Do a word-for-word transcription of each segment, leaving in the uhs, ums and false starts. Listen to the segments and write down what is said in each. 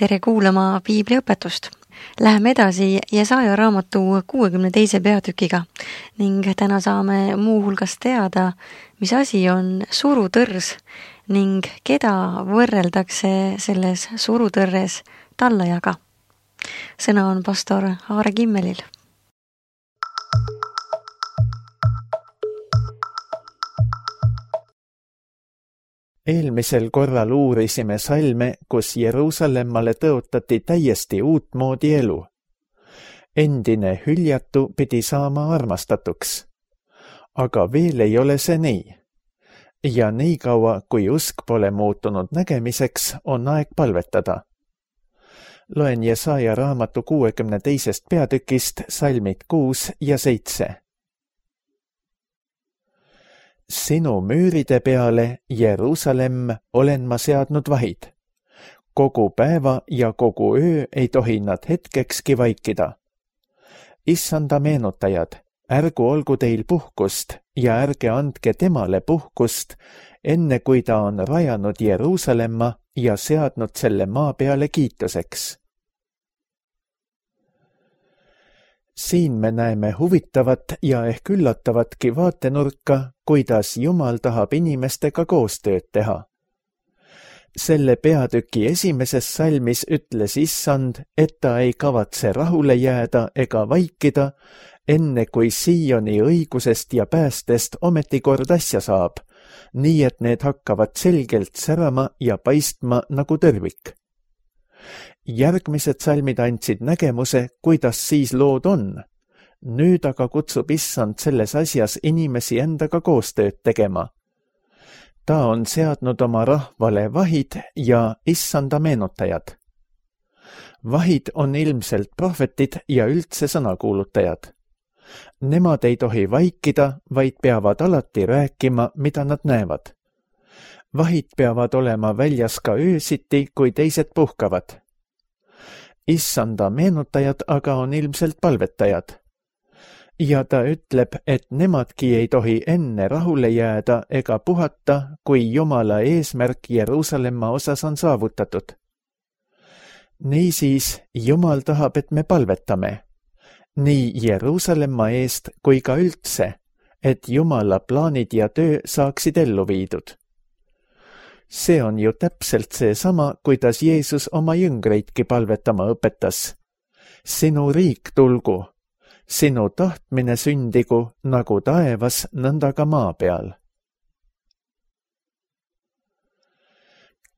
tere kuulama piibliõpetust. Läheme edasi Jesaja raamatu kuuekümne teise peatükiga ning täna saame muu hulgas teada, mis asi on surutõrs ning keda võrreldakse selles surutõrres tallajaga. Sõna on pastor Aare Kimmelil. Eelmisel korral uurisime salme, kus Jeruusalemmale tõotati täiesti uutmoodi elu. Endine hüljatu pidi saama armastatuks. Aga veel ei ole see nii. Ja nii kaua, kui usk pole muutunud nägemiseks, on aeg palvetada. Loen Jesaja raamatu kuuekümne teisest peatükist salmid kuus ja seitse. Sinu müüride peale, Jeruusalemm, olen ma seadnud vahid. Kogu päeva ja kogu öö ei tohi nad hetkekski vaikida. Issanda meenutajad, ärgu olgu teil puhkust ja ärge andke temale puhkust, enne kui ta on rajanud Jeruusalemma ja seadnud selle maa peale kiituseks. Siin me näeme huvitavat ja ehk üllatavatki vaatenurka, kuidas Jumal tahab inimestega koostööd teha. Selle peatüki esimeses salmis ütles Issand, et ta ei kavatse rahule jääda ega vaikida, enne kui Sioni õigusest ja päästest ometikord asja saab, nii et need hakkavad selgelt särama ja paistma nagu tervik. Järgmised salmid andsid nägemuse, kuidas siis lood on. Nüüd aga kutsub Issand selles asjas inimesi endaga koostööd tegema. Ta on seadnud oma rahvale vahid ja Issanda meenutajad. Vahid on ilmselt prohvetid ja üldse sõnakuulutajad. Nemad ei tohi vaikida, vaid peavad alati rääkima, mida nad näevad. Vahid peavad olema väljas ka öösiti, kui teised puhkavad. Issanda meenutajad aga on ilmselt palvetajad. Ja ta ütleb, et nemadki ei tohi enne rahule jääda ega puhata, kui Jumala eesmärk Jeruusalemma osas on saavutatud. Niisiis, Jumal tahab, et me palvetame. Nii Jeruusalemma eest kui ka üldse, et Jumala plaanid ja töö saaksid ellu viidud. See on ju täpselt seesama, kuidas Jeesus oma jüngreidki palvetama õpetas. Sinu riik tulgu, sinu tahtmine sündigu nagu taevas, nõnda ka maa peal.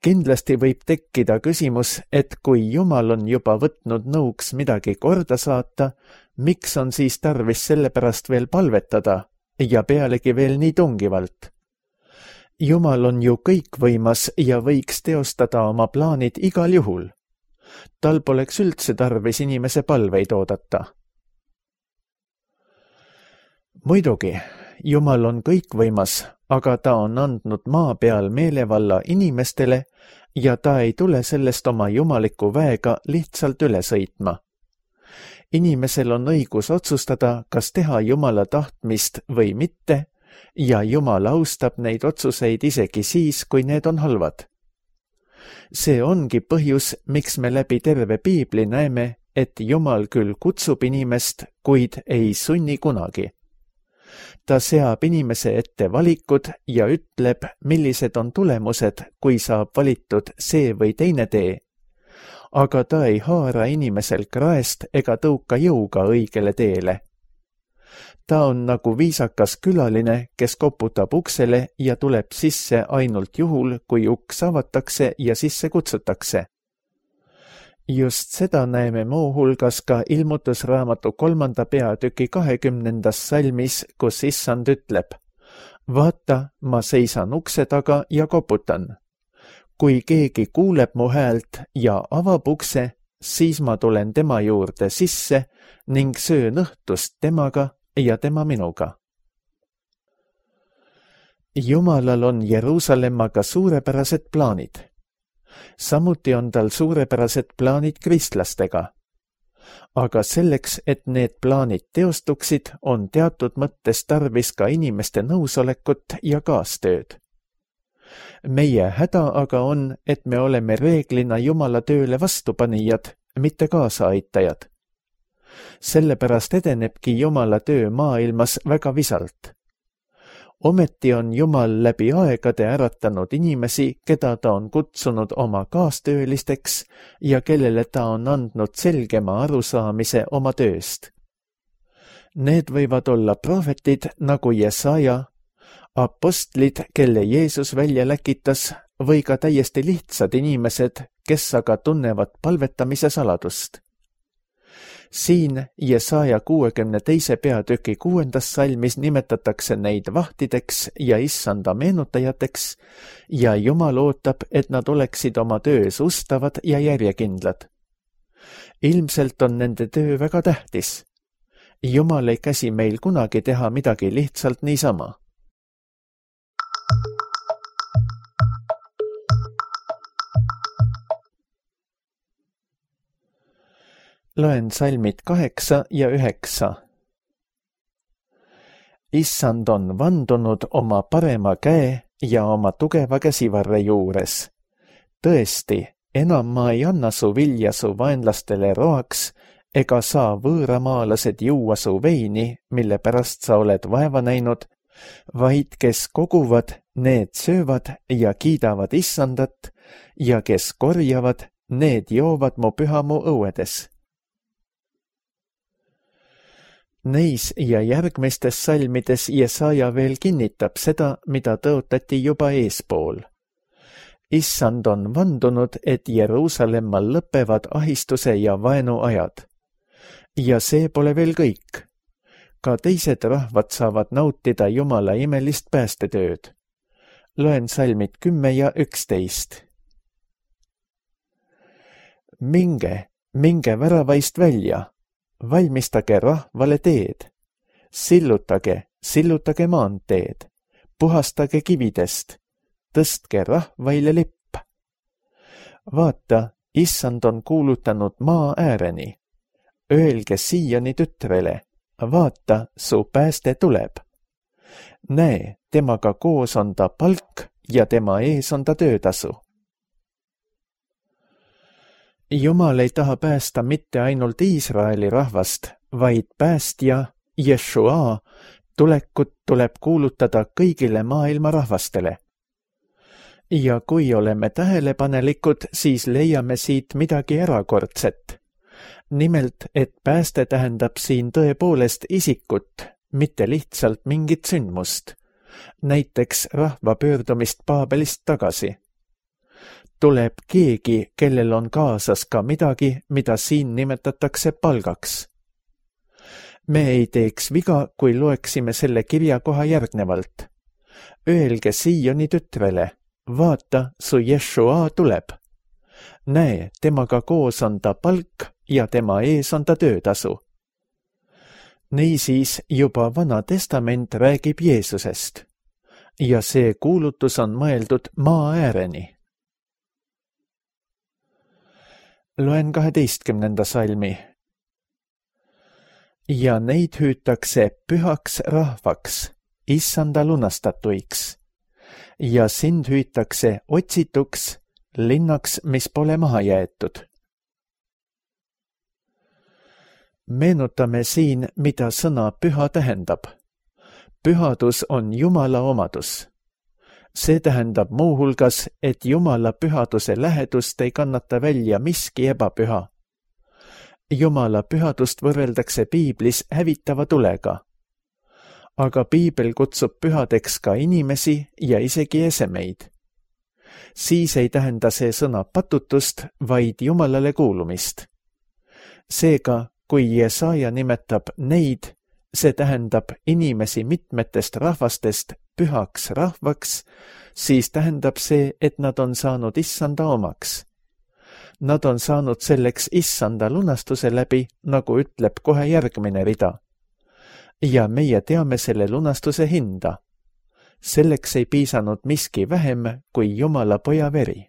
Kindlasti võib tekkida küsimus, et kui Jumal on juba võtnud nõuks midagi korda saata, miks on siis tarvis selle pärast veel palvetada ja pealegi veel nii tungivalt? Jumal on ju kõikvõimas ja võiks teostada oma plaanid igal juhul. Tal poleks üldse tarvis inimese palveid oodata. Muidugi, Jumal on kõikvõimas, aga ta on andnud maa peal meelevalla inimestele ja ta ei tule sellest oma jumaliku väega lihtsalt üle sõitma. Inimesel on õigus otsustada, kas teha Jumala tahtmist või mitte, ja Jumal austab neid otsuseid isegi siis, kui need on halvad. See ongi põhjus, miks me läbi terve piibli näeme, et Jumal küll kutsub inimest, kuid ei sunni kunagi. Ta seab inimese ette valikud ja ütleb, millised on tulemused, kui saab valitud see või teine tee. Aga ta ei haara inimesel kraest ega tõuka jõuga õigele teele. Ta on nagu viisakas külaline, kes koputab uksele ja tuleb sisse ainult juhul, kui uks avatakse ja sisse kutsutakse. Just seda näeme muu hulgas ka ilmutusraamatu kolmanda peatüki kahekümnendas salmis, kus Issand ütleb: Vaata, ma seisan ukse taga ja koputan. Kui keegi kuuleb mu häält ja avab ukse, siis ma tulen tema juurde sisse ning söön õhtust temaga ja tema minuga. Jumalal on Jeruusalemmaga suurepärased plaanid. Samuti on tal suurepärased plaanid kristlastega. Aga selleks, et need plaanid teostuksid, on teatud mõttes tarvis ka inimeste nõusolekut ja kaastööd. meie häda aga on, et me oleme reeglina Jumala tööle vastupanijad, mitte kaasaaitajad. Sellepärast edenebki Jumala töö maailmas väga visalt. Ometi on Jumal läbi aegade äratanud inimesi, keda ta on kutsunud oma kaastöölisteks ja kellele ta on andnud selgema arusaamise oma tööst. Need võivad olla prohvetid nagu Jesaja, apostlid, kelle Jeesus välja läkitas, või ka täiesti lihtsad inimesed, kes aga tunnevad palvetamise saladust. Siin Jesaja kuuekümne teise peatüki kuuendas salmis nimetatakse neid vahtideks ja issanda meenutajateks ja Jumal ootab, et nad oleksid oma töös ustavad ja järjekindlad. Ilmselt on nende töö väga tähtis. Jumal ei käsi meil kunagi teha midagi lihtsalt niisama. Loen salmid kaheksa ja üheksa. Issand on vandunud oma parema käe ja oma tugeva käsivarre juures. Tõesti, enam ma ei anna su vilja su vaenlastele roaks, ega saa võõramaalased juua su veini, mille pärast sa oled vaeva näinud, vaid kes koguvad, need söövad ja kiidavad issandat ja kes korjavad, need joovad mu pühamu õuedes. Neis ja järgmistes salmides Jesaja veel kinnitab seda, mida tõotati juba eespool. Issand on vandunud, et Jeruusalemmal lõpevad ahistuse ja vaenu ajad. Ja see pole veel kõik. Ka teised rahvad saavad nautida Jumala imelist päästetööd. Loen salmid kümme ja üksteist. Minge, minge väravaist välja. Valmistage rahvale teed, sillutage, sillutage maanteed, puhastage kividest, tõstke rahvaile lipp. Vaata, issand on kuulutanud maa ääreni. Öelge Sioni tütrele, vaata, su pääste tuleb. Näe, temaga koos on ta palk ja tema ees on ta töötasu. Jumal ei taha päästa mitte ainult Iisraeli rahvast, vaid päästja, Jeshua, tulekut tuleb kuulutada kõigile maailma rahvastele. Ja kui oleme tähelepanelikud, siis leiame siit midagi erakordset. Nimelt, et pääste tähendab siin tõepoolest isikut, mitte lihtsalt mingit sündmust. Näiteks rahva pöördumist Paabelist tagasi. Tuleb keegi, kellel on kaasas ka midagi, mida siin nimetatakse palgaks. Me ei teeks viga, kui loeksime selle kirja koha järgnevalt. Öelge Sioni tütrele, vaata, su Jeshua tuleb. Näe, temaga koos on ta palk ja tema ees on ta töötasu. Niisiis juba Vana Testament räägib Jeesusest. Ja see kuulutus on mõeldud maa ääreni. Loen kaheteistkümnenda salmi. Ja neid hüütakse pühaks rahvaks, issanda lunastatuiks. Ja sind hüütakse otsituks, linnaks, mis pole maha jäetud. Meenutame siin, mida sõna püha tähendab. Pühadus on Jumala omadus. See tähendab muuhulgas, et Jumala pühaduse lähedust ei kannata välja miski ebapüha. Jumala pühadust võrreldakse piiblis hävitava tulega. Aga piibel kutsub pühadeks ka inimesi ja isegi esemeid. Siis ei tähenda see sõna patutust, vaid Jumalale kuulumist. Seega, kui Jesaja nimetab neid, see tähendab inimesi mitmetest rahvastest pühaks rahvaks, siis tähendab see, et nad on saanud issanda omaks. Nad on saanud selleks issanda lunastuse läbi, nagu ütleb kohe järgmine rida. Ja meie teame selle lunastuse hinda. Selleks ei piisanud miski vähem kui Jumala poja veri.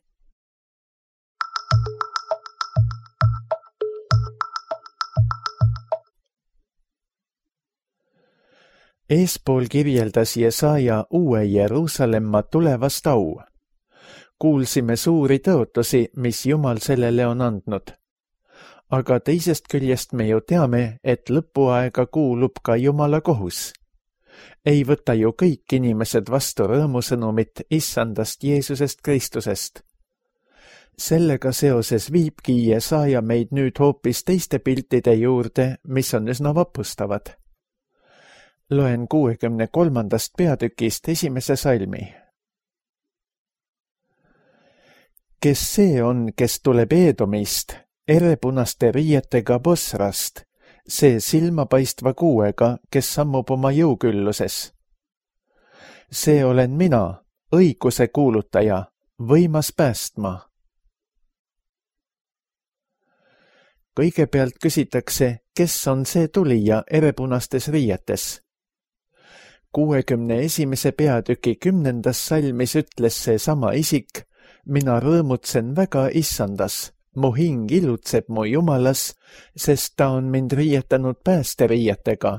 Eespool kirjeldas Jesaja uue Jeruusalemma tulevast au, kuulsime suuri tõotusi, mis Jumal sellele on andnud. Aga teisest küljest me ju teame, et lõpuaega kuulub ka Jumala kohus. Ei võta ju kõik inimesed vastu rõõmusõnumit issandast Jeesusest Kristusest. Sellega seoses viibki Jesaja meid nüüd hoopis teiste piltide juurde, mis on üsna vapustavad. Loen kuuekümne kolmandast peatükist esimese salmi. Kes see on, kes tuleb Eedomist, erepunaste riietega Bosrast, see silmapaistva kuuega, kes sammub oma jõukülluses? See olen mina, õiguse kuulutaja, võimas päästma. Kõigepealt küsitakse, kes on see tulija erepunastes riietes. kuuekümne esimese peatüki kümnendas salmis ütles see sama isik, mina rõõmutsen väga issandas, mu hing ilutseb mu Jumalas, sest ta on mind riietanud päästeriietega,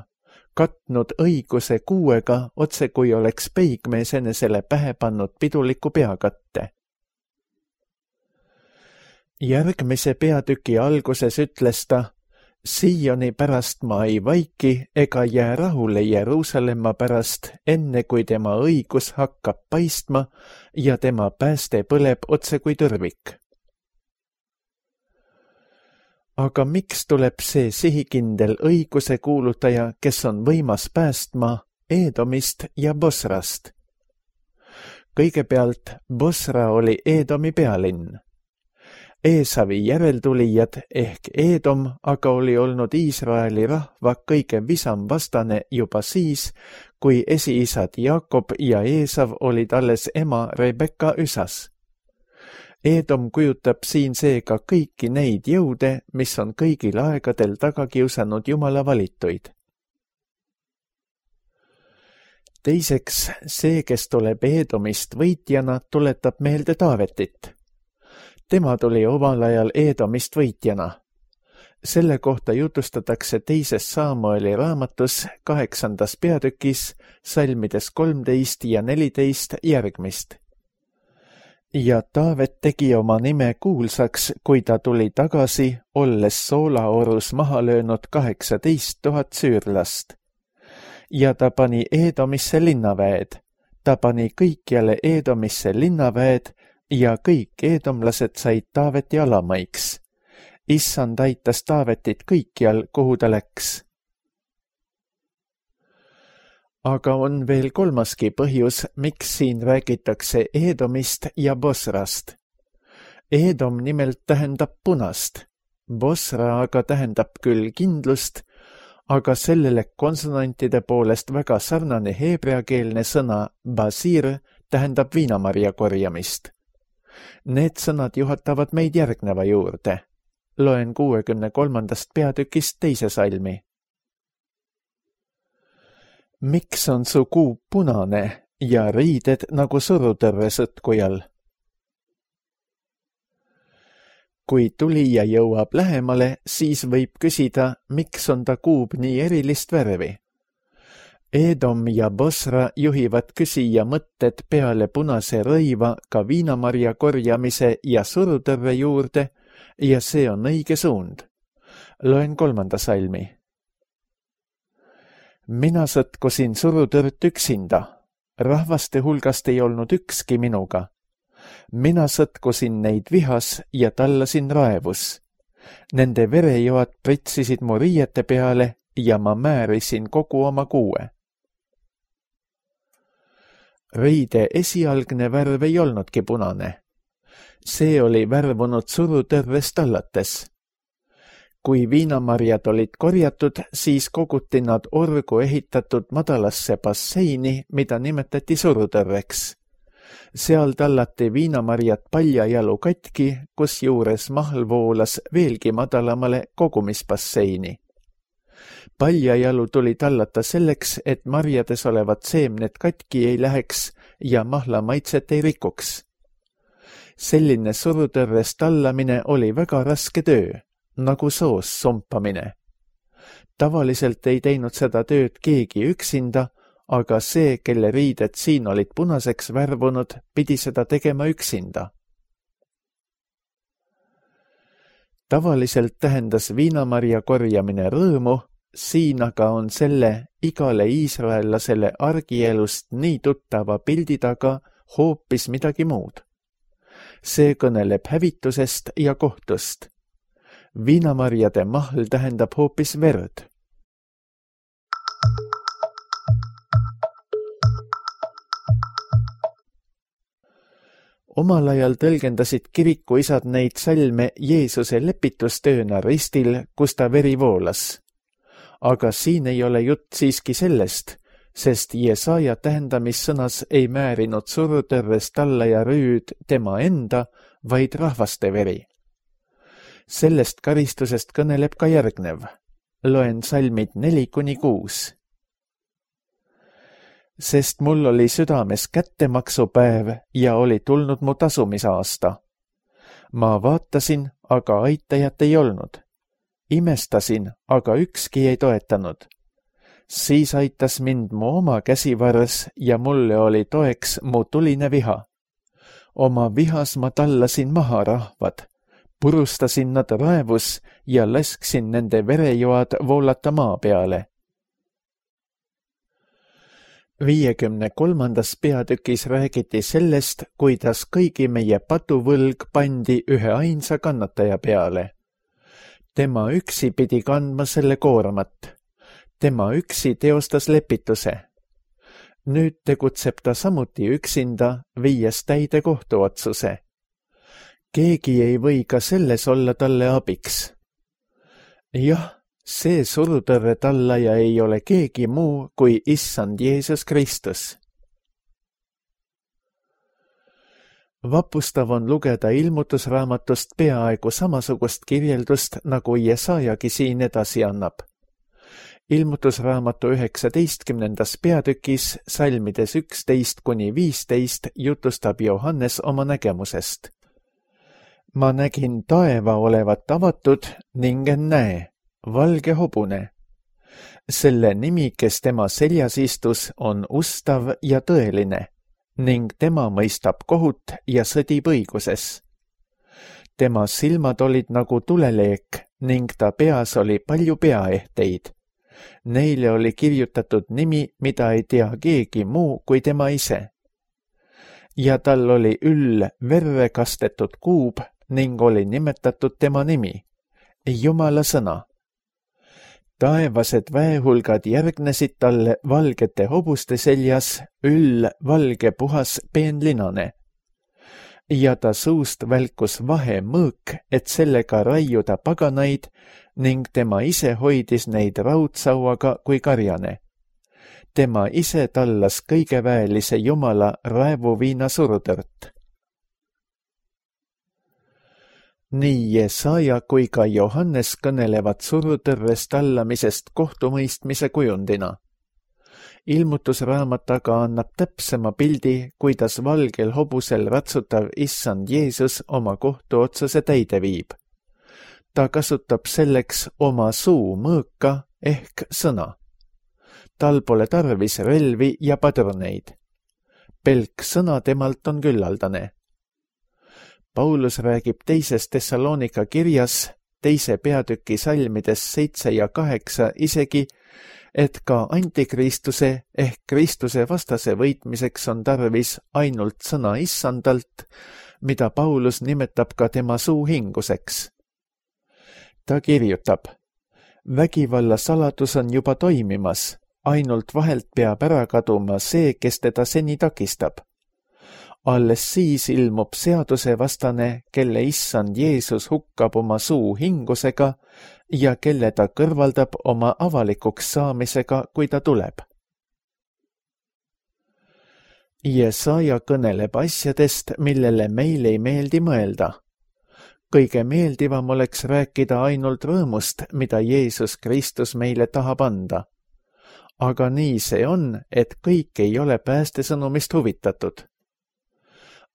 katnud õiguse kuuega, otse kui oleks peigmees enesele pähe pannud piduliku peakatte. Järgmise peatüki alguses ütles ta, Sioni pärast ma ei vaiki ega jää rahule Jeruusalemma pärast, enne kui tema õigus hakkab paistma ja tema pääste põleb otse kui tõrvik. Aga miks tuleb see sihikindel õiguse kuulutaja, kes on võimas päästma Eedomist ja Bosrast? Kõigepealt Bosra oli Eedomi pealinn. Eesavi järeltulijad ehk Eedom aga oli olnud Iisraeli rahva kõige visam vastane juba siis, kui esiisad Jaakob ja Eesav olid alles ema Rebekka üsas. Eedom kujutab siin seega kõiki neid jõude, mis on kõigil aegadel taga kiusanud Jumala valituid. Teiseks, see, kes tuleb Eedomist võitjana, tuletab meelde Taavetit. Tema tuli omal ajal Eedomist võitjana. Selle kohta jutustatakse teises Saamueli raamatus kaheksandas peatükis, salmides kolmteist ja neliteist järgmist. Ja Taavet tegi oma nime kuulsaks, kui ta tuli tagasi, olles soolaorus maha löönud kaheksateist tuhat süürlast. Ja ta pani Eedomisse linnaväed. Ta pani kõikjale Eedomisse linnaväed, ja kõik eedomlased said Taaveti alamaiks. Issand aitas Taavetit kõikjal, kuhu ta läks. Aga on veel kolmaski põhjus, miks siin räägitakse Eedomist ja Bosrast. Eedom nimelt tähendab punast. Bosra aga tähendab küll kindlust, aga sellele konsonantide poolest väga sarnane heebreakeelne sõna basir tähendab viinamarja korjamist. Need sõnad juhatavad meid järgneva juurde. Loen kuuekümne kolmandast peatükist teise salmi. Miks on su kuub punane ja riided nagu surutõrve sõtkujal? Kui tulija jõuab lähemale, siis võib küsida, miks on ta kuub nii erilist värvi. Eedom ja Bosra juhivad küsija mõtted peale punase rõiva ka viinamarja korjamise ja surutõrve juurde ja see on õige suund. Loen kolmanda salmi. Mina sõtkusin surutõrt üksinda. Rahvaste hulgast ei olnud ükski minuga. Mina sõtkusin neid vihas ja tallasin raevus. Nende verejoad pritsisid mu riiete peale ja ma määrisin kogu oma kuue. Riide esialgne värv ei olnudki punane. See oli värvunud surutõrvest allates. Kui viinamarjad olid korjatud, siis koguti nad orgu ehitatud madalasse basseini, mida nimetati surutõrveks. Seal tallati viinamarjad paljajalu katki, kus juures mahl voolas veelgi madalamale kogumisbasseini. Paljajalu tuli tallata selleks, et marjades olevad seemned katki ei läheks ja mahla maitset ei rikuks. Selline surutõrvest tallamine oli väga raske töö, nagu soos sumpamine. Tavaliselt ei teinud seda tööd keegi üksinda, aga see, kelle riided siin olid punaseks värvunud, pidi seda tegema üksinda. Tavaliselt tähendas viinamarja korjamine rõõmu, siin aga on selle igale iisraellasele argielust nii tuttava pildi taga hoopis midagi muud. See kõneleb hävitusest ja kohtust. Viinamarjade mahl tähendab hoopis verd. Omal ajal tõlgendasid kirikuisad neid salme Jeesuse lepitustööna ristil, kus ta veri voolas. Aga siin ei ole jutt siiski sellest, sest Jesaja tähendamissõnas ei määrinud surutõrres talla ja rüüd tema enda, vaid rahvaste veri. Sellest karistusest kõneleb ka järgnev. Loen salmid neli kuni kuus. Sest mul oli südames kättemaksupäev ja oli tulnud mu tasumisaasta. Ma vaatasin, aga aitajat ei olnud. Imestasin, aga ükski ei toetanud. Siis aitas mind mu oma käsivars ja mulle oli toeks mu tuline viha. Oma vihas ma tallasin maha rahvad, purustasin nad raevus ja lasksin nende verejoad voolata maa peale. viiekümne kolmandas peatükis räägiti sellest, kuidas kõigi meie patuvõlg pandi ühe ainsa kannataja peale. Tema üksi pidi kandma selle koormat. Tema üksi teostas lepituse. Nüüd tegutseb ta samuti üksinda, viies täide kohtuotsuse. Keegi ei või ka selles olla talle abiks. Jah, see surutõrre tallaja ei ole keegi muu kui Issand Jeesus Kristus. Vapustav on lugeda ilmutusraamatust peaaegu samasugust kirjeldust, nagu Jesajagi siin edasi annab. Ilmutusraamatu üheksateistkümnendas peatükis, salmides üksteist kuni viisteist, jutustab Johannes oma nägemusest. Ma nägin taeva olevat avatud ning näe, valge hobune. Selle nimi, kes tema seljas istus, on ustav ja tõeline, ning tema mõistab kohut ja sõdib õiguses. Tema silmad olid nagu tuleleek ning ta peas oli palju peaehteid. Neile oli kirjutatud nimi, mida ei tea keegi muu kui tema ise. Ja tal oli üll verre kastetud kuub ning oli nimetatud tema nimi, Jumala sõna. Taevased väehulgad järgnesid talle valgete hobuste seljas, üll valge puhas peenlinane. Ja ta suust välkus vahe mõõk, et sellega raiuda paganaid, ning tema ise hoidis neid raudsauaga kui karjane. Tema ise tallas kõigeväelise Jumala raevuviina surutõrt. Nii Jesaja kui ka Johannes kõnelevad surutõrres tallamisest kohtumõistmise kujundina. Ilmutusraamat aga annab täpsema pildi, kuidas valgel hobusel ratsutav Issand Jeesus oma kohtuotsuse täide viib. Ta kasutab selleks oma suu mõõka ehk sõna. Tal pole tarvis relvi ja padruneid. Pelk sõna temalt on küllaldane. Paulus räägib teises Thessalonika kirjas, teise peatüki salmides seitse ja kaheksa isegi, et ka antikristuse ehk Kristuse vastase võitmiseks on tarvis ainult sõna Issandalt, mida Paulus nimetab ka tema suuhinguseks. Ta kirjutab, vägivalla saladus on juba toimimas, ainult vahelt peab ära kaduma see, kes teda seni takistab. Alles siis ilmub seadusevastane, kelle Issand Jeesus hukkab oma suu hingusega ja kelle ta kõrvaldab oma avalikuks saamisega, kui ta tuleb. Jesaja kõneleb asjadest, millele meil ei meeldi mõelda. Kõige meeldivam oleks rääkida ainult rõõmust, mida Jeesus Kristus meile tahab anda. Aga nii see on, et kõik ei ole päästesõnumist huvitatud.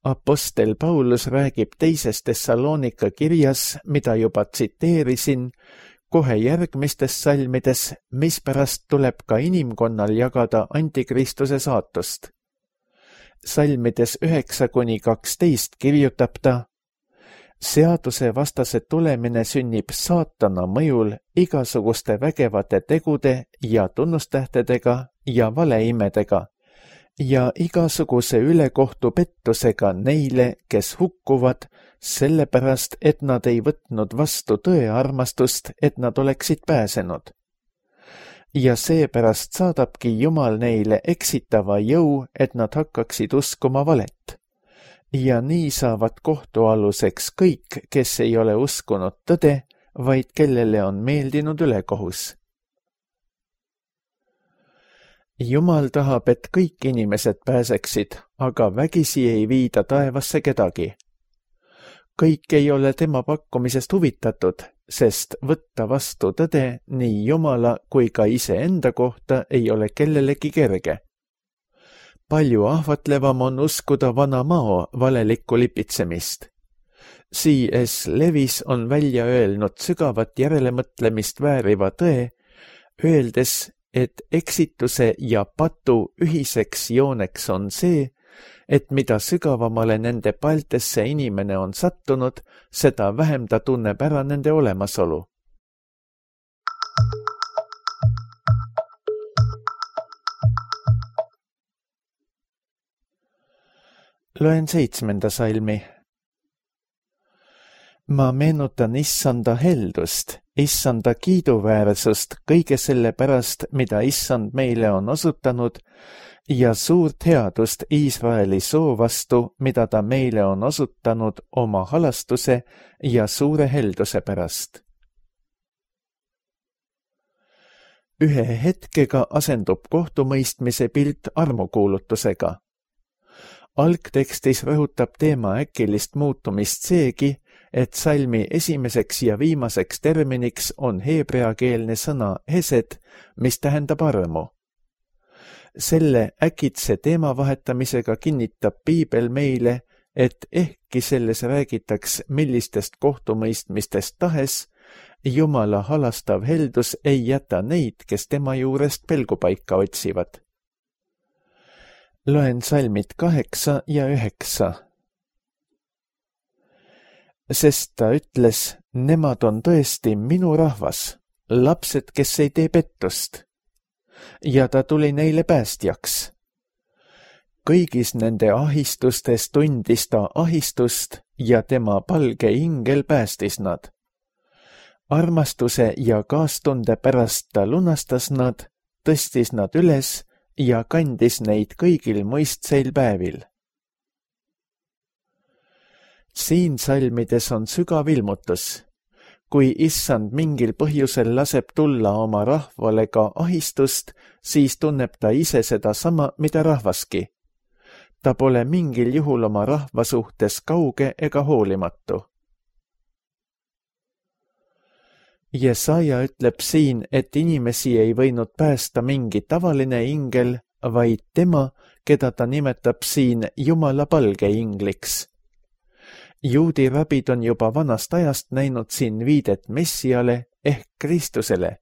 Apostel Paulus räägib teises Thessalonika kirjas, mida juba tsiteerisin, kohe järgmistes salmides, mispärast tuleb ka inimkonnal jagada antikristuse saatust. Salmides üheksa kuni kaksteist kirjutab ta: seaduse vastase tulemine sünnib saatana mõjul igasuguste vägevate tegude ja tunnustähtedega ja valeimedega ja igasuguse ülekohtu pettusega neile, kes hukkuvad, sellepärast, et nad ei võtnud vastu tõe armastust, et nad oleksid pääsenud. Ja seepärast saadabki Jumal neile eksitava jõu, et nad hakkaksid uskuma valet. Ja nii saavad kohtualuseks kõik, kes ei ole uskunud tõde, vaid kellele on meeldinud ülekohus. Jumal tahab, et kõik inimesed pääseksid, aga vägisi ei viida taevasse kedagi. Kõik ei ole tema pakkumisest huvitatud, sest võtta vastu tõde nii Jumala kui ka iseenda kohta ei ole kellelegi kerge. Palju ahvatlevam on uskuda vana mao valelikku lipitsemist. C S Lewis on välja öelnud sügavat järelemõtlemist vääriva tõe, öeldes, et eksituse ja patu ühiseks jooneks on see, et mida sügavamale nende paltesse inimene on sattunud, seda vähem ta tunneb ära nende olemasolu. Loen seitsmenda salmi. Ma meenutan issanda heldust, issanda kiiduväärsust kõige selle pärast, mida issand meile on osutanud, ja suurt headust Iisraeli soo vastu, mida ta meile on osutanud oma halastuse ja suure helduse pärast. Ühe hetkega asendub kohtumõistmise pilt armukuulutusega. Algtekstis rõhutab teema äkilist muutumist seegi, et salmi esimeseks ja viimaseks terminiks on heebreakeelne sõna hesed, mis tähendab armu. Selle äkitse teema vahetamisega kinnitab Piibel meile, et ehkki selles räägitaks millistest kohtumõistmistest tahes, Jumala halastav heldus ei jäta neid, kes tema juurest pelgupaika otsivad. Loen salmid kaheksa ja üheksa. Sest ta ütles, nemad on tõesti minu rahvas, lapsed, kes ei tee pettust. Ja ta tuli neile päästjaks. Kõigis nende ahistustes tundis ta ahistust ja tema palge ingel päästis nad. Armastuse ja kaastunde pärast ta lunastas nad, tõstis nad üles ja kandis neid kõigil mõistseil päevil. Siin salmides on sügav ilmutus. Kui issand mingil põhjusel laseb tulla oma rahvale ka ahistust, siis tunneb ta ise seda sama, mida rahvaski. Ta pole mingil juhul oma rahva suhtes kauge ega hoolimatu. Jesaja ütleb siin, et inimesi ei võinud päästa mingi tavaline ingel, vaid tema, keda ta nimetab siin Jumala palge ingliks. Juudi rabid on juba vanast ajast näinud siin viidet Messiale ehk Kristusele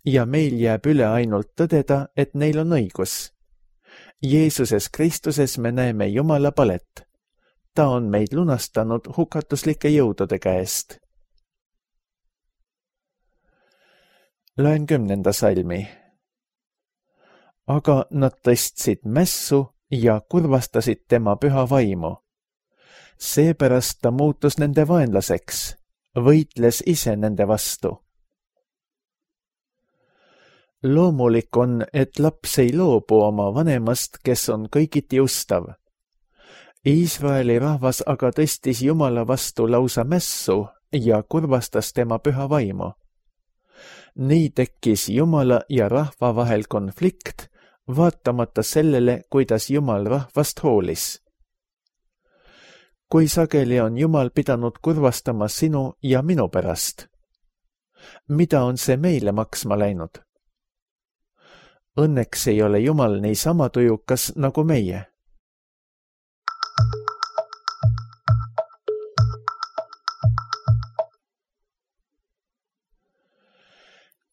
ja meil jääb üle ainult tõdeda, et neil on õigus. Jeesuses Kristuses me näeme Jumala palet. Ta on meid lunastanud hukatuslike jõudude käest. Loen kümnenda salmi. Aga nad tõstsid mässu ja kurvastasid tema püha vaimu. Seepärast ta muutus nende vaenlaseks, võitles ise nende vastu. Loomulik on, et laps ei loobu oma vanemast, kes on kõigiti ustav. Iisraeli rahvas aga tõstis Jumala vastu lausa mässu ja kurvastas tema püha vaimu. Nii tekkis Jumala ja rahva vahel konflikt, vaatamata sellele, kuidas Jumal rahvast hoolis. Kui sageli on Jumal pidanud kurvastama sinu ja minu pärast? Mida on see meile maksma läinud? Õnneks ei ole Jumal nii sama tujukas nagu meie.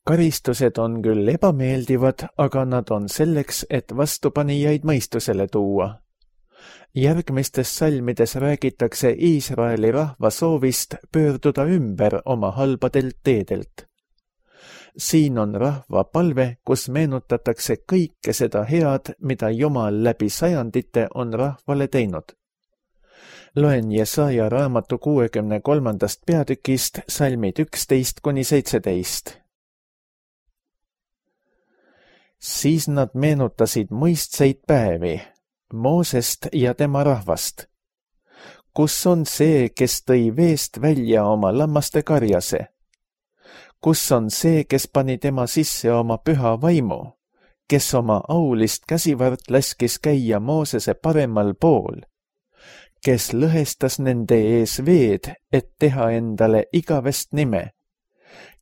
karistused on küll ebameeldivad, aga nad on selleks, et vastupanijaid mõistusele tuua. Järgmistes salmides räägitakse Iisraeli rahva soovist pöörduda ümber oma halbadelt teedelt. Siin on rahva palve, kus meenutatakse kõike seda head, mida Jumal läbi sajandite on rahvale teinud. Loen Jesaja raamatu kuuekümne kolmandast peatükist salmid üksteist kuni seitseteist. Siis nad meenutasid mõistseid päevi, Moosest ja tema rahvast. Kus on see, kes tõi veest välja oma lammaste karjase? Kus on see, kes pani tema sisse oma püha vaimu, kes oma aulist käsivart laskis käia Moosese paremal pool, kes lõhestas nende ees veed, et teha endale igavest nime,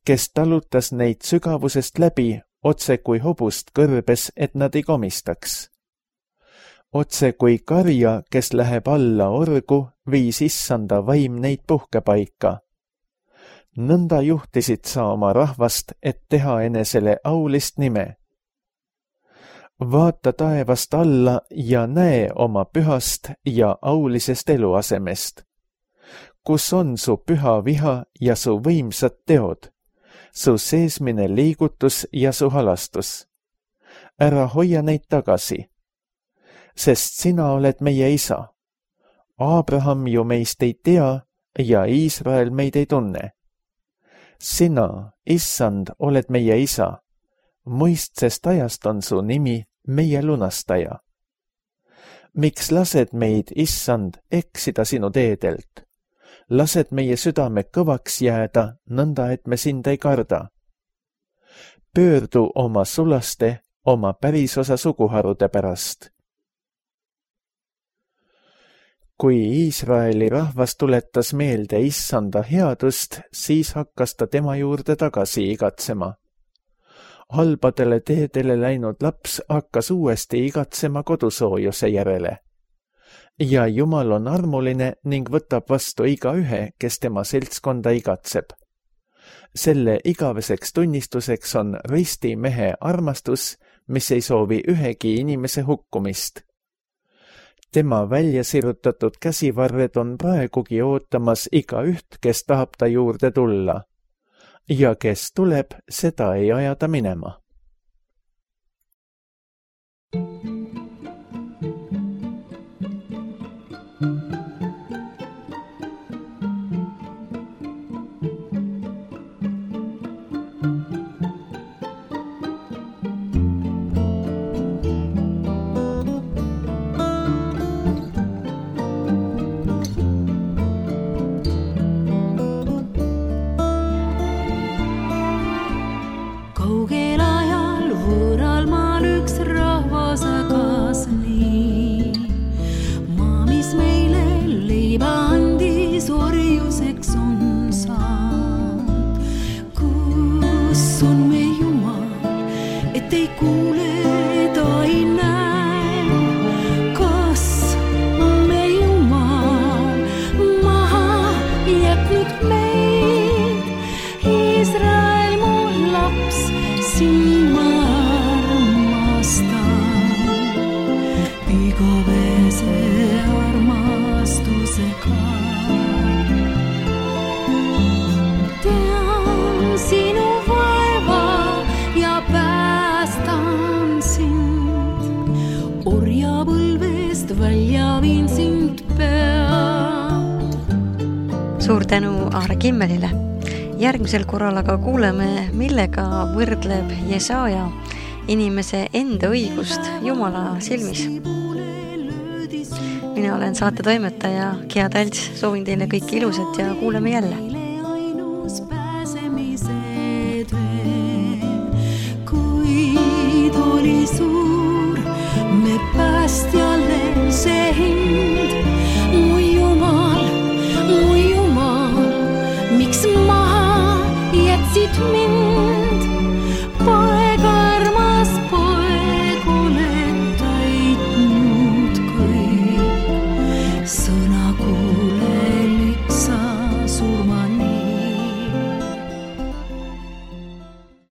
kes talutas neid sügavusest läbi, otse kui hobust kõrbes, et nad ei komistaks. Otse kui karja, kes läheb alla orgu, viis issanda vaim neid puhkepaika. Nõnda juhtisid sa oma rahvast, et teha enesele aulist nime. Vaata taevast alla ja näe oma pühast ja aulisest eluasemest. Kus on su püha viha ja su võimsad teod, su seesmine liigutus ja su halastus? Ära hoia neid tagasi, sest sina oled meie isa. Abraham ju meist ei tea ja Iisrael meid ei tunne. Sina, issand, oled meie isa. Mõistsest ajast on su nimi meie lunastaja. Miks lased meid, issand, eksida sinu teedelt? Lased meie südame kõvaks jääda, nõnda et me sind ei karda. Pöördu oma sulaste, oma pärisosa suguharude pärast. Kui Iisraeli rahvas tuletas meelde issanda headust, siis hakkas ta tema juurde tagasi igatsema. Halbadele teedele läinud laps hakkas uuesti igatsema kodusoojuse järele. Ja Jumal on armuline ning võtab vastu igaühe, kes tema seltskonda igatseb. Selle igaveseks tunnistuseks on ristimehe armastus, mis ei soovi ühegi inimese hukkumist. Tema välja sirutatud käsivarred on praegugi ootamas igaüht, kes tahab ta juurde tulla. Ja kes tuleb, seda ei aja ta minema. Suur tänu Aare Kimmelile. Järgmisel korral aga kuuleme, millega võrdleb Jesaja inimese enda õigust Jumala silmis. Mina olen saate toimetaja Kia Talts, soovin teile kõike ilusat ja kuuleme jälle. Kuid oli suur, me päästjale see hind, mu Jumal, mu Jumal, miks maha jätsid mind?